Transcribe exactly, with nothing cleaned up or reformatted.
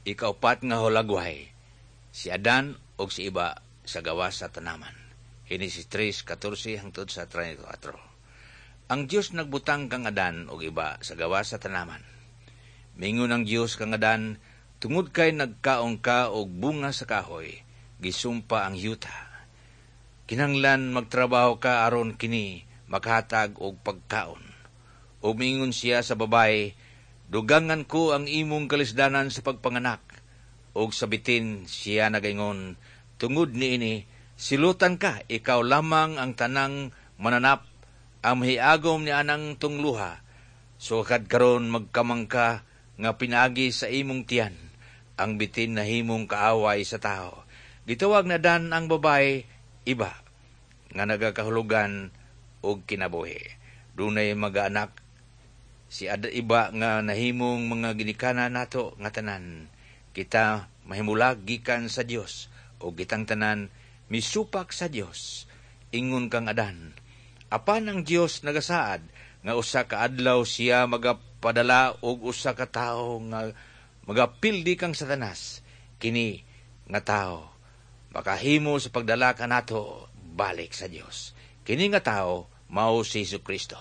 Ikaupat nga hulagway, si Adan ug si Iba sa gawas sa tanaman. Henesis tres katorse hangtod sa trenta'y kwatro. Ang Dios nagbutang kang Adan ug Iba sa gawas sa tanaman. Mingon ang Dios kang Adan, "Tungod kay nagkaon ka og bunga sa kahoy, gisumpa ang yuta. Kinahanglan magtrabaho ka aron kini makahatag og pagkaon." Ug mingon siya sa babaye, "Dugangan ko ang imong kalisdanan sa pagpanganak." Ug sa bitin siya nagaingon, "Tungod niini, silutan ka, ikaw lamang ang tanang mananap ang mahiagom ni anang tungluha. Sukad karon magkamang ka nga pinaagi sa imong tiyan, ang bitin nahimong kaaway sa tao." Gitawag ni Adan ang babae Iba, nga nagakahulugan og kinabuhi. Dunay mga anak si Ad Iba nga nahimong mga ginikanan nato nga tanan. Kita mahimulag gikan sa Dios ug kitang tanan misupak sa Dios ingon kang Adan. Apan ang Dios nagasaad nga usa ka adlaw siya magapadala og usa ka tawo nga magapildi kang Satanas. Kini nga tawo makahimo sa pagdala kanato balik sa Dios. Kini nga tawo mao si Jesu Kristo.